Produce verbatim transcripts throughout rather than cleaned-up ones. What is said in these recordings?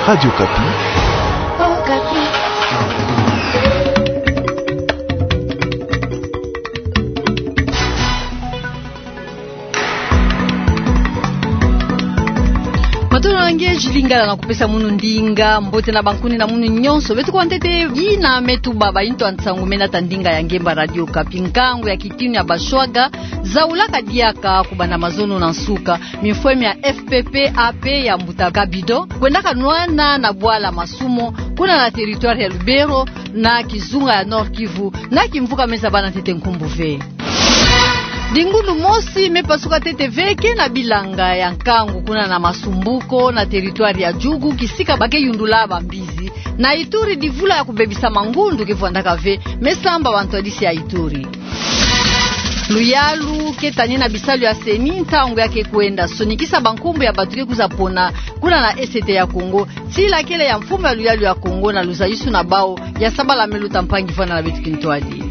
Radio Okapi. Matondo na nge, Julie Ngala na kupesa munu ndinga. Mbote na bankuni na munu nyonso. Beto kwa ntete yina me tubaka bayi ntu ya nsangu me nata ndinga ya ngemba Radio Okapi. Nkangu ya kitinu ya bashwaga zaulaka diaka kubanda mazono na nsuka. Mifwemi ya F P P A P ya mbuta Kabido kwendaka nwana na bwala Masumo, kuna na territoire ya Lubero, na kizunga ya Nord-Kivu, na kimvuka me zabana ntete nkumbu ve. Dingulu mosi me pasuka ntete ve ke na bilanga ya nkangu kuna na Masumbuko, na territoire ya Djugu, kisika ba ke yundula bambizi. Na Ituri, divula ya kubebisa mangundu ke vwandaka ve, me samba bantwadisi ya Ituri. Luyalu ke tanina bisalu ya CENI ntangu ya ke kwenda sonikisa bankumbu ya bato ke kwiza pona kuna na Est ya Kongo, tila kele ya mfumu ya luyalu ya Kongo na luzayusu na bawu ya sabala me luta mpangi vwanda na beto kintwadi.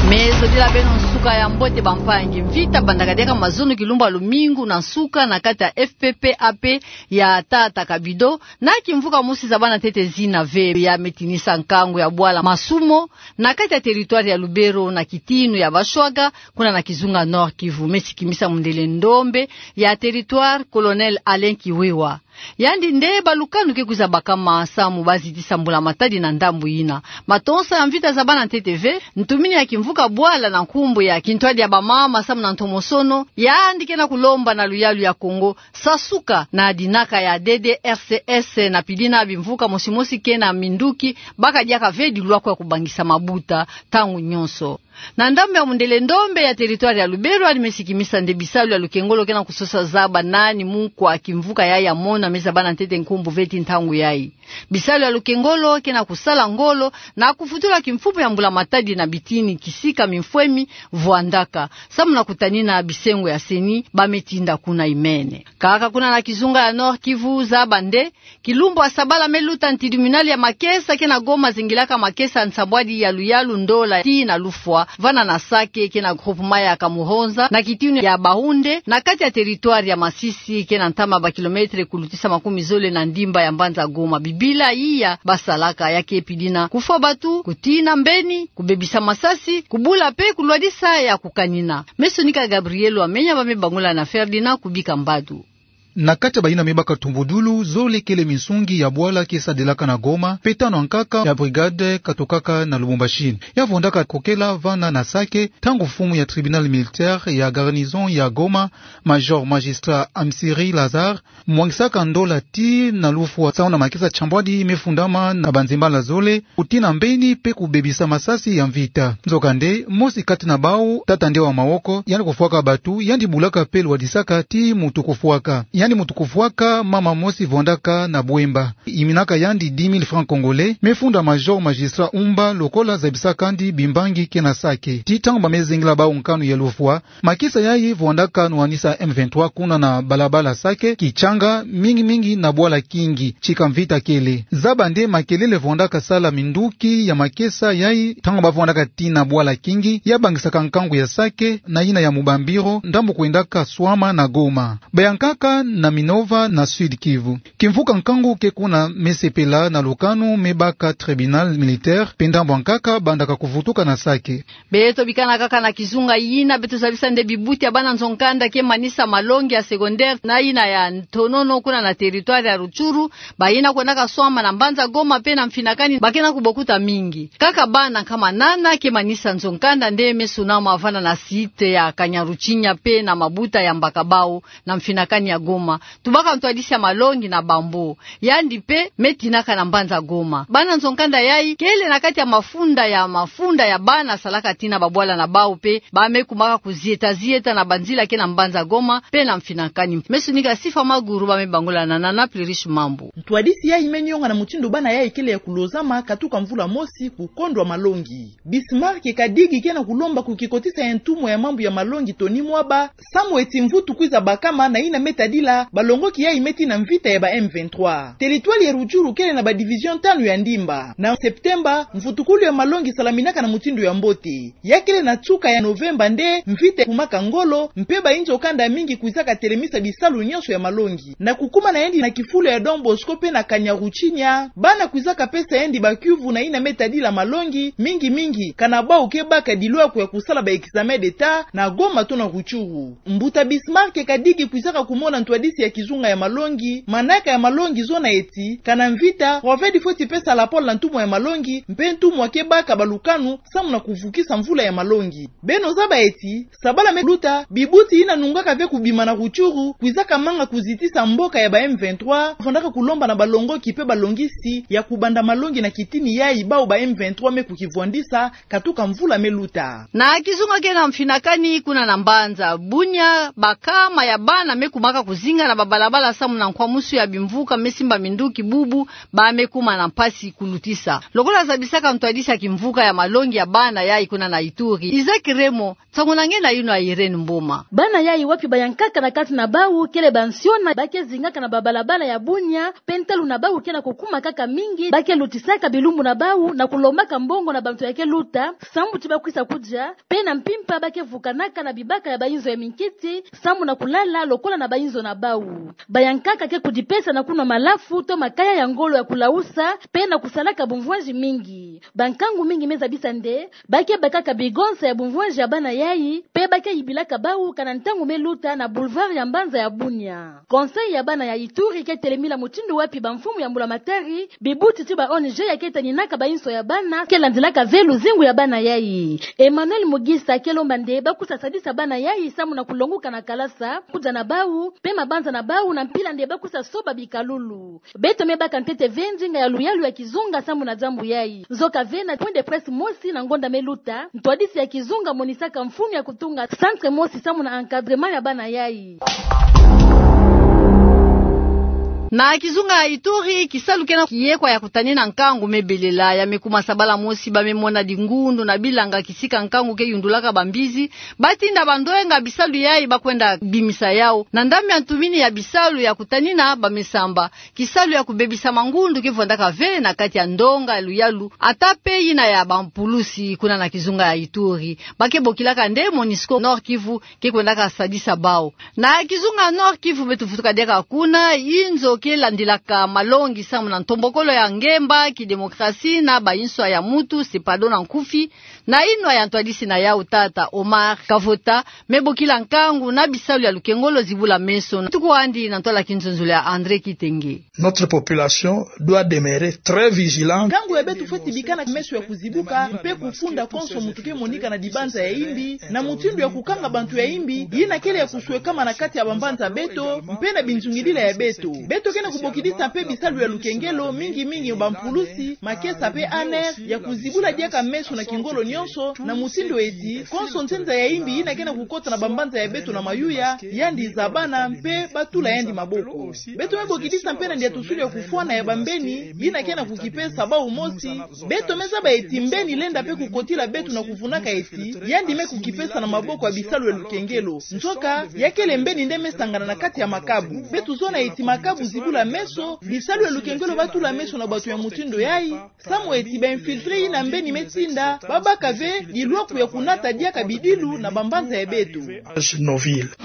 Me zodila beno nsuka ya mbote bampangi. Mvita bandaka diaka mazono kilumbu ya lumingu na nsuka na kati ya F P P A P ya tata Kabido, na kimvuka mosi zabana ntete zina ve, ya me tinisa nkangu ya bwala Masumo, na kati ya territoire ya Lubero na kitinu ya bashwaga, kuna na kizunga Nord-Kivu, me sikimisa mundele ndombe ya territoire, Colonel Alain Kiwewa. Yandi nde balukanu ke kwiza bakama samu bazitisa mbula matadi na ndambu yina. Matonsa ya mvita zabana ntete ve, ntumini ya kimvuka bwala na nkumbu ya kintwadi ya bamama samu na ntomosono, yandi ke na kulomba na luyalu ya Kongo sasuka na dinaka ya D D R C S na pidina bimvuka mosi mosi ke na minduki, baka diaka ve dilwaku ya kubangisa mabuta ntangu nyonso. Na ndambu ya mundele ndombe ya territoire ya Lubero, yandi me sikimisa nde bisalu ya lukengolo ke na kusosa zaba nani mukwa kimvuka yayi ya mona me zabana ntete nkumbu ve ti ntangu yayi. Bisalu ya lukengolo ke na kusala ngolo na kufutula kimfumu ya mbula matadi na bitini kisika mifwemi vwandaka, samu na kutanina bisengo ya CENI ba me tinda kuna imene. Kaka kuna na kizunga ya Nord-Kivu, zaba nde kilumbu ya sabala me luta, tribunal ya makesa ke na Goma zingilaka makesa ya nsambwadi ya luyalu ndola tii na lufwa, vana na Sake ke na groupement ya Kamuhonza na kitinu ya Bahunde, na kati ya territoire ya Masisi ke na ntama ba kilomètre kulutisa makumi zole na ndimba ya mbanza Goma. Bibila iya basalaka ya ke pidina kufwa bato, kutina mbeni, kubebisa masasi, kubula pe kulwadisa ya kukanina. Me sonika Gabriel Wamenya, ba me bangula na Ferdinand Kubika Mbadu. Na kati ya bayina me baka tumbudulu, zole kele minsungi ya bwala ke sadilaka na Goma, pe tanu ankaka ya brigade katokaka na Lubumbashi. Ya vwandaka kokela vana na Sake, ntangu mfumu ya tribunal militaire ya garnison ya Goma, major magistrat Amsiri Lazare, mwangisaka ndola tii na lufwa samu na makesa nsambwadi me fundama na banzembala zole, kutina mbeni pe kubebisa masasi ya mvita. Nzokande, mosi kati na bawu, tata nde wa mawoko, yandi kufwaka bato, yandi bulaka pe lwadisaka tii mutu kufwaka. Yandi mutu kufwaka mama mosi vwandaka na Bwemba. Yiminaka yandi dix mille francs congolais, me funda major magistrat Umba lokola zabisaka yandi bimbangi ke na Sake. Tii ntangu ba me zingila bawu nkanu ya lufwa, makesa yayi vwandaka nwanisa M vingt-trois kuna na balabala Sake Kitshanga, mingi mingi na bwala Kingi, tika mvita kele. Zaba nde makelele vwandaka sala minduki ya makesa yayi, ntangu ba vwandaka tina bwala Kingi, ya bangisaka nkangu ya Sake, na yina ya Mubambiro, ndambu kwendaka swama na Goma. Bayankaka na Minova na Sud-Kivu. Kimvuka nkangu ke kuna me sepela na lukanu me baka tribunal militaire, pe ndambu ankaka bandaka kuvutuka na Sake. Beto bikana kaka na kizunga yina, beto zabisa nde bibuti ya bana nzo-nkanda ke manisa malongi ya secondaire na yina ya ntonono kuna na territoire ya Rutshuru, bayina kwendaka swama na mbanza Goma pe na mfinakani, ba ke na kubokuta mingi. Kaka bana nkama nana ke manisa nzo-nkanda nde me sunama vana na site ya Kanyaruchinya pe na mabuta ya Mbakabau na mfinakani ya Goma. Tubaka ntwadisi ya malongi na bambo. Yandi pe me tinaka na mbanza Goma. Bana nzo-nkanda yayi kele na kati ya mafunda ya mafunda ya bana salaka tina babwala na bawu pe ba me kumaka kuzieta zieta na banzila ke na mbanza Goma pe na mfinakani. Me sonika Sifa Maguru, ba me bangula na Nana Plurish Mambu. Ntwadisi yayi me nionga na mutindu bana yayi kele ya kulozama katuka mvula mosi ku kondwa malongi. Bismarck Kadigi ke na kulomba ku kikotisa ya ntumwa ya mambu ya malongi Tony Mwaba, samu eti mvutu kwiza bakama na yina me tadila kasa, balongoki yayi meti na mvita ya ba M vingt-trois. Territoire ya Rutshuru kele na ba division tanu ya ndimba. Na Septemba, mvutukulu ya malongi salaminaka na mutindu ya mbote. Ya kele na nsuka ya Novemba nde mvita kumaka ngolo, mpe bainzo kanda mingi kwizaka telemisa bisalu nyonso ya malongi. Na kukuma na yandi na kifulu ya Don Bosco mpe na Kanyaruchinya, bana kwizaka pesa yandi ba kiuvu na yina me tadila malongi, mingi mingi, kana bau ke baka dilwaku ya kusala ba examen d'État na Goma to na Rutshuru. Mbuta Bismarck Kadigi kwizaka kumona ntwadisi ya kizunga ya malongi, manaka ya malongi zona eti, kana mvita, Proved fweti pesa lapole na ntumwa ya malongi, mpe ntumwa ke baka balukanu, samu na kuvukisa mvula ya malongi. Beno zaba eti, sabala me luta, bibuti yina nungaka ve kubima na Rutshuru, kwizaka manga kuzitisa mboka ya ba M vingt-trois, vandaka kulomba na balongoki mpe balongisi, ya kubanda malongi na kitini yayi bau ba M vingt-trois me kukivwandisa, katuka mvula me luta. Na kizunga ke na mfinakani kuna na mbanza Bunia, bakama ya bana me kumaka kuzinga na babalabala samu na nkwamusu ya bimvuka me simba minduki bubu, ba me kuma na mpasi kulutisa. Lokola zabisaka ntwadisi ya kimvuka ya malongi ya bana yayi kuna na Ituri, Isaac Remo, nsangu na nge na yinu ya Irène Mboma. Bana yayi wapi bayankaka na kati na bau kele bansiona, ba ke zingaka na babalabala ya Bunia, mpe ntalu na bau ke na kukuma kaka mingi, ba ke lutisaka bilumbu na bau na kulombaka mbongo na bantu ya ke luta, samu ti ba kwisa kudia, mpe na mpimpa ba ke vukanaka na bibaka ya bainzo ya minkiti, samu na kulala lokola na bainzo na bau. Bayankaka ke kudipesa na kunwa malafu to makaya ya ngolo ya kulausa, mpe na kusalaka bumvwanzi mingi. Bankangu mingi me zabisa nde, ba ke bakaka bigonsa ya bumvwanzi ya bana yayi, mpe ba ke yibilaka bau kana ntangu me luta na boulevard ya mbanza ya Bunia. Conseil ya bana ya Ituri ke telemila mutindu wapi bamfumu ya mbulamatari, bibuti ti ba O N G ya ke taninaka bainzo ya bana, ke landilaka ve luzingu ya bana yayi. Emmanuel Mugisa ke lomba nde ba kwisa sadisa bana yayi samu na kulonguka na kalasa, kudia na bau, mpe mabanza na bau na mpila nde ba kwisa soba bikalulu. Beto me baka ntete ve ndinga ya luyalu ya kizunga samu na diambu yayi. Nzoka ve na point de presse mosi na ngonda me luta, ntwadisi ya kizunga monisaka mfunu ya kutunga centre mosi samu na encadrement ya bana yayi. Na kizunga ya Ituri, kisalu ke na kiyekwa ya kutanina nkangu me belela, ya me kuma sabala mosi ba me mona dingundu na bilanga kisika nkangu ke yundulaka bambizi, ba tinda bandoyenga bisalu yayi ba kwenda bimisa yau. Na ndambu ya ntumini ya bisalu ya kutanina ba me samba, kisalu ya kubebisa mangundu ke vwandaka ve na kati ya ndonga ya luyalu, ata mpe yina ya bampulusi kuna na kizunga ya Ituri. Ba ke bokilaka nde Monusco Nord-Kivu ke kwendaka sadisa bau. Na kizunga Nord-Kivu beto vutuka diaka kuna, inzo ke landilaka malongi samu na ntombokolo ya ngemba, kidemokrasi na bainswa ya mutu, CEPADO na nkufi, na inwa ya ntwadisi na yau tata Omar Kavota, me bokila nkangu na bisalu ya lukengolo zibula meso. Tuku andi na ntwala kinzonzolo ya André Kitenge. Notre population doit demeurer très vigilante. Nkangu ya beto fweti bikana meso ya kuzibuka, mpe kufunda konso muntu ke monika na dibanza ya imbi, na mutindu ya kukanga bantu ya imbi, yina kele ya kuswekama na kati ya bambanza beto, mpe na binzungidila ya beto. Beto ke na kubokidisa mpe bisalu ya lukengelo, mingi mingi bampulusi, makesa mpe ANR, ya kuzibula diaka meso na kingolo nyonso, na mutindu eti, konso nzenza ya imbi yina ke na kukota na bambanza ya beto na mayuya, yandi zabana, mpe ba tula yandi maboko. Beto me bokidisa mpe na ndiatusulu ya kufwana ya bambeni, yina ke na kukipesa bau mosi, beto me zaba eti mbeni lenda mpe kukotila beto na kuvunaka eti, yandi me kukipesa na maboko ya bisalu ya lukengelo. Nzoka, ya kele mbeni nde me sangana na kati ya makabu. Beto zona eti makabu zibula meso, bisalu ya lukengelo ba tula meso na bato ya mutindu yayi, samu eti ba infiltré yina mbeni me tinda, ba baka ve, dilwaku ya kunata diaka bidilu na bambanza ya beto. Nos villes.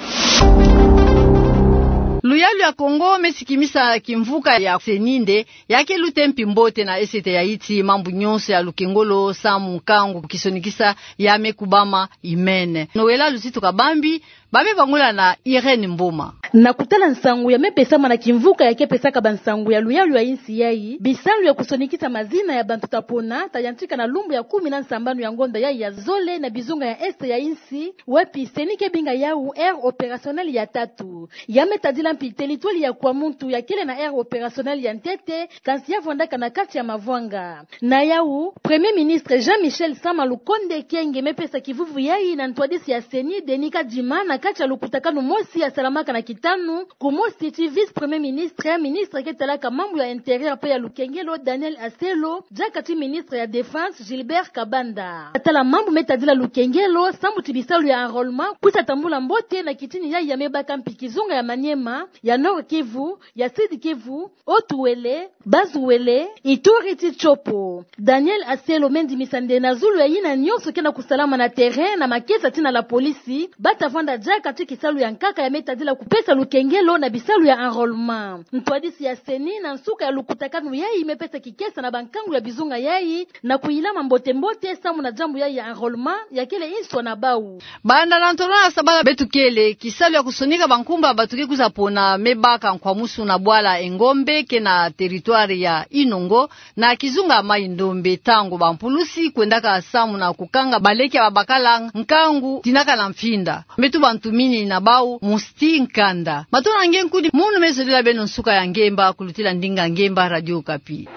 Luyalu ya Kongo me sikimisa kimvuka ya CENI nde, ya ke luta mpi mbote na esete ya iti mambu nyonso ya lukengolo samu nkangu kisonikisa ya me kubama imene. Noëlla Luzitu Kabambi, ba me bangula na Irène Mboma. Na kutala nsangu ya me pesama na kimvuka ya ke pesaka bansangu ya luyalu ya insi yayi, bisalu ya kusonikisa mazina ya bantu ta pona, ta yantika na lumbu ya kumi na nsambanu ya ngonda yayi ya zole na bizunga ya Est ya insi, wapi CENI ke binga yau aire opérationnelle ya tatu. Ya me tadila mpi territoire ya Kwamouth ya kele na aire opérationnelle ya ntete, kansi ya vwandaka na kati ya mavwanga. Na yau, Premier Ministre Jean-Michel Sama Lukonde Kyenge me pesa kivuvu yayi na ntwadisi ya CENI Denis Kadima na kati ya lukutakanu mosi yasalamaka na kitanu, kumosi ti vice-premier ministre, ministre ke talaka mambu ya intérieur pe ya lukengelo, Daniel Aselo, diaka ti ministre ya défense, Gilbert Kabanda. Tala mambu me tadila lukengelo, sambu ti bisalu ya enrôlement kwisa tambula mbote na kitini yayi ya mabaka mpi kizunga ya Maniema, ya Nord-Kivu, ya Sud-Kivu, Haut-Uele, Bas-Uele, Ituri ti Tshopo. Daniel Aselo me ndimisa nde na zulu ya yina nyonso ke na kusalama na terrain na makesa ti na la police, bata vwanda diaka ti kisalu ya nkaka ya me tadila kupesa lukengelo na bisalu ya enrôlement. Ntwadisi ya CENI na nsuka ya lukutakanu yayi me pesa kikesa na bankangu ya bizunga yayi na kuyilama mbote mbote sambu na diambu yayi ya enrôlement ya kele nswa na bawu. Banda na ntolo ya sabala beto kele, kisalu ya kusonika bankumbu ya bato ke kwiza pona me baka nkwamusu na bwala Engombe ke na territoire ya Inongo, na kizunga Maï-Ndombe, ntango bampulusi kwendaka samu na kukanga baleke ya babakala nkangu tinaka na mfinda. Me tuba ntumini na bawu, Musti Nkanda. Matondo na nge nkudi, munu me zodila beno nsuka ya ngemba, kulutila ndinga ngemba, Radio Okapi.